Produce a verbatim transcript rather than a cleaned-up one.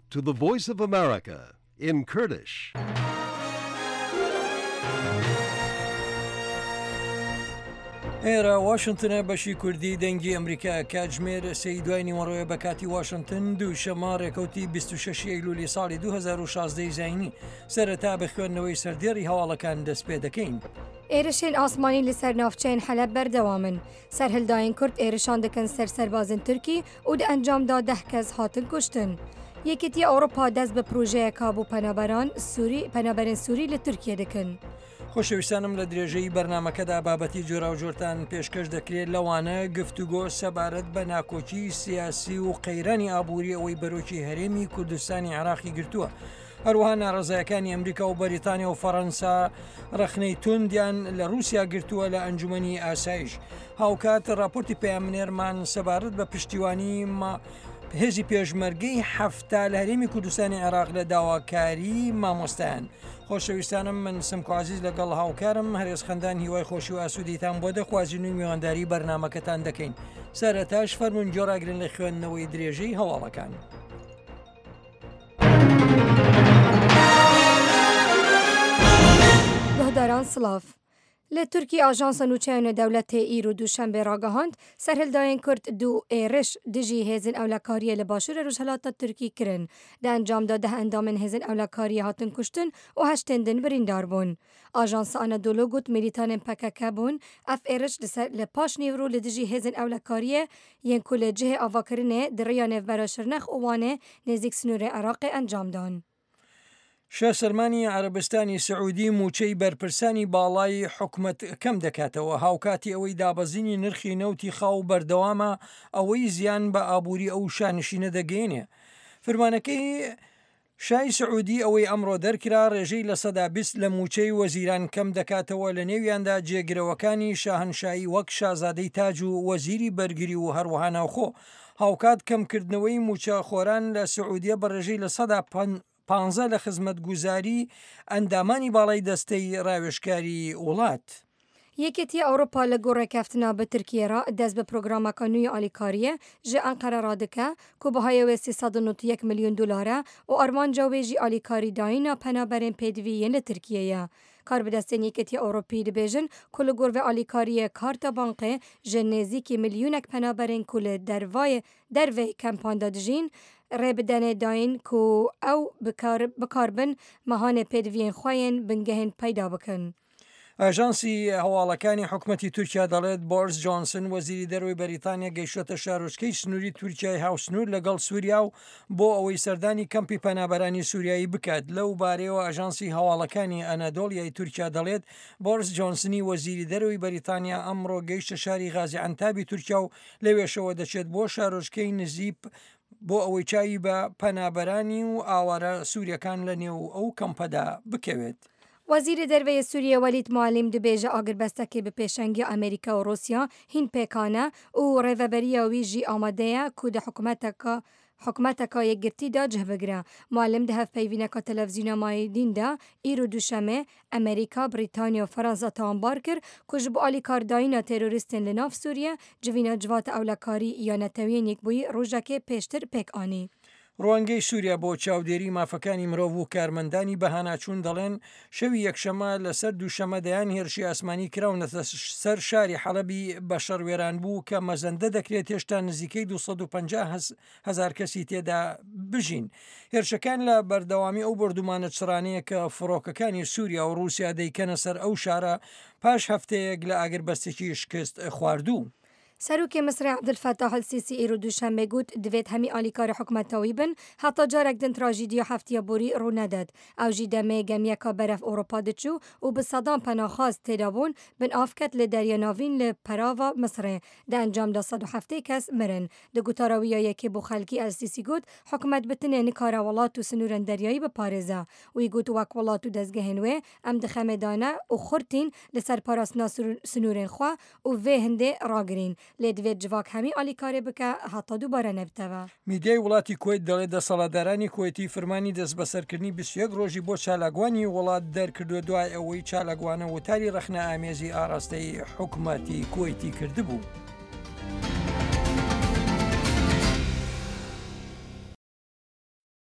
to the Voice of America in Kurdish. ئێرە واشنتنە بەشی کوردی دەنگی ئەمریکا کاتژمێر سێی دوای نیوەڕۆیە بە کاتی واشنتن دووشەممە ڕێکەوتی بیست و شەش ئەیلولی ساڵی دوو هەزار و شازدە ی زایینی. سەرەتا بە خوێندنەوەی سەردێڕی هەواڵەکان دەست پێ دەکەین. ئێرشên ئاسمانی li ser navçeyên Heleb berdewam in. Serhildayên Kurd êrişan dikin ser serbazên Tirkî û di encam da deh kes hatin kuştin. Yekîtiya Ewropa dest bi projeyeka bo penaberan Sûrî penaberên Sûrî li Tirkiye dikin. خۆشەویستانم لە درێژەی بەرنمەکەدا بابەتی جۆراوجۆرتان پێشکەش دەکرێت لەوانە گفتوگۆ سەبارەت بە ناکۆکی سیاسی و قەیرانی ئابووری ئەوەی بەرۆکی هەرێمی کوردستانی عێراقی گرتووە. هەروەها ناڕەزایەکانی ئەمریکا و بەریتانیا و فەڕەنسا ڕەخنەی توندیان لە رووسیا گرتووە لە ئەنجومەنی ئاسایش. هاوکات راپۆرتی پەیامنێرمان سەبارەت بە پشتیوانی هێزی پێشمەرگەی حەفتا لە هەرێمی کوردستانی عێراق لە داواکاری مامۆستایان. خۆشەویستانم من سمکۆ عەزیز لەگەڵ هاوکارم هەرێز خەندان هیوای خۆشی و ئاسوودیتان بۆ دەخوازین و میوانداری بەرنامەکەتان دەکەین. سەرەتاش فەرمونون گۆڕاگرن لە خوێندنەوەی درێژەی هەواڵەکان. گوهداران سلاv. Li Tirkiye ajansa nûçeyên dewletê îro Duşembê ragihand, serhildayên Kurd du êriş dijî hêzên ewlekariyê li başûrê Rojhilata Tirkî kirin. Di encam de deh endamên hêzên ewlekariyê hatin kuştin û heştên din birîndar bûn. Ajansa Anadolu got milîtanên P K K bûn, ev êriş li ser li paş nîvro li dijî hêzên ewlekariyê yên ku li cihê avakirinê di rêya nêvbera Şirnex û Wanê nêzîk sînorê Iraqê encam dan. شا سەلمانی عەرەبستانی سعودی موچەی بەرپرسانی باڵای حکومەت کەم دەکاتەوە، هاوکاتی ئەوەی دابەزینی نرخی نەوتی خاو بەردەوامە ئەوەی زیان بە ئابووری ئەو شانشینە دەگەیەنێ. فرمانەکەی شای سعودی ئەوەی ئەمڕۆ دەرکرا ڕێژەی لە سەدا بیست لە موچەی وەزیران کەم دەکاتەوە لە نێویاندا جێگرەوەکانی شاهنشایی وەک شازادەی تاج و وەزیری بەرگری و هەروەها ناوخۆ. هاوکات کەمکردنەوەی موچە خۆران لە سعودیە بە ڕێژەی لە سەدا پانزە لە خزمەتگوزاری ئەندامانی باڵای دەستەی ڕاوێژکاری وڵات. یەکێتی ئەوروپا لە گۆڕێکەفتنا بە تورکیە را دەست بە پرۆگرامەکە نوێی ئالیکاریە ji Enqere ra dike ku bihayê wê sê sed û nod û yek milyon dolar e û armanca wê jî alîkarî dayîna penaberên pêdivî yên li Tirkiyê ye. Karbidestên Yekîtiya Ewropî dibêjin ku li gor vê alîkariyê karta bankê ji nêzîkî milyonek penaberên ku li dervayê derveyê kempan de dijîn rê bidenê dayîn ku ew bikarbin mehanê pêdiviyên xwe yên bingehên peyda bikin. ئاژانسی هەواڵەکانی حکومەتی تورکیا دەڵێت بۆرس جۆنسن وەزیری دەرەوەی بەریتانیا گەیشتە شارۆچکەی سنووری تورکیای هاوسنوور لەگەڵ سووریا و بۆ ئەوەی سەردانی کەمپی پەنابەرانی سووریایی بکات. لەو بارەیەوە ئاژانسی هەواڵەکانی ئەنادۆڵیای تورکیا دەڵێت بۆرس جۆنسنی وەزیری دەرەوەی بەریتانیا ئەمڕۆ گەیشتە شاری غازی عەنتابی تورکیا و لەوێشەوە دەچێت بۆ شارۆچکەی نزیپ بۆ ئەوەی چاوی بە پەنابەرانی و ئاوارە سووریەکان لە نێو ئەو کەمپەدا بکەوێت. وەزیری دەرەوەی سووریە وەلید معلیم دەبێژە ئاگربەستەکەی بە پێشەنگی ئەمریکا و ڕوسیا هین پێکانە و ڕێڤەبەریە وی ژی ئامادەیە ku di حکومەتەکە حکومەتەکە یەکگرتیدا cih bigire. معلم di hevpeyvîneka televîzyona Mayedîn de îro Duşemê Amerîka, Brîtanya û Fransa tawanbar kir ku ji bo alîkardayîna terorîstên li nav Sûriye civîna civata ewlekarî ya Neteweyên Yekbûyî rojekê pêştir pêk anî. ڕوانگەی سووریا بۆ چاودێری مافەکانی مرۆڤ و کارمەندانی بەهاناچوون دەڵێن شەوی یەکشەمە لەسەر دووشەمە دەیان هێرشی ئاسمانی کراونەتە سەر شاری حەڵەبی بە شەڕوێران بوو کە مەزەندە دەکرێت هێشتا نزیکەی دوو سەد و پەنجا هەزار کەسی تێدا بژین. هێرشەکان لە بەردەوامی ئەو بردومانە چڕانەیە کە فڕۆکەکانی سووریا و ڕووسیا دەیکەنە سەر ئەو شارە پاش هەفتەیەک لە ئاگربەستێکی شکست خواردوو. سەرۆکی میسری عەبدولفەتاح ئەلسیسی ئیرۆ دووشەممە گوت divêt hemî alîkarê hikûmetawî bin heta carek din trajediya heftiya borî rû nedet. Ew jî demê gemiyeka berev Ewropa diçû û bi sedan penaxwaz têda bûn bin av ket li Derya Navîn li perava Misrê. Di encam de sed û heftê kes mirin. Di gotara wî ya yekê bo xelkî El-Sîsî got hikûmet bi tenê nikare welat û sînorên deryayî biparêze. Wî got wek welat û dezgehên wê em di xemê de ne û xurtîn li ser parastina sînorên xwe û vê hindê ragirîn. لێ divêt civak hemî alîkarê bike heta dubare nebiteve. میدیای وڵاتی کوەیت دەڵێت دەسەڵاتدارانی کوەیتی فرمانی دەستبەسەرکردنی بیست و یەک ڕۆژی بۆ چالاکوانی وڵات دەرکردووە دوای ئەوەی چالاکوانە وتاری ڕەخنە ئامێزی ئاراستەی حکومەتی کوەیتی کردبوو.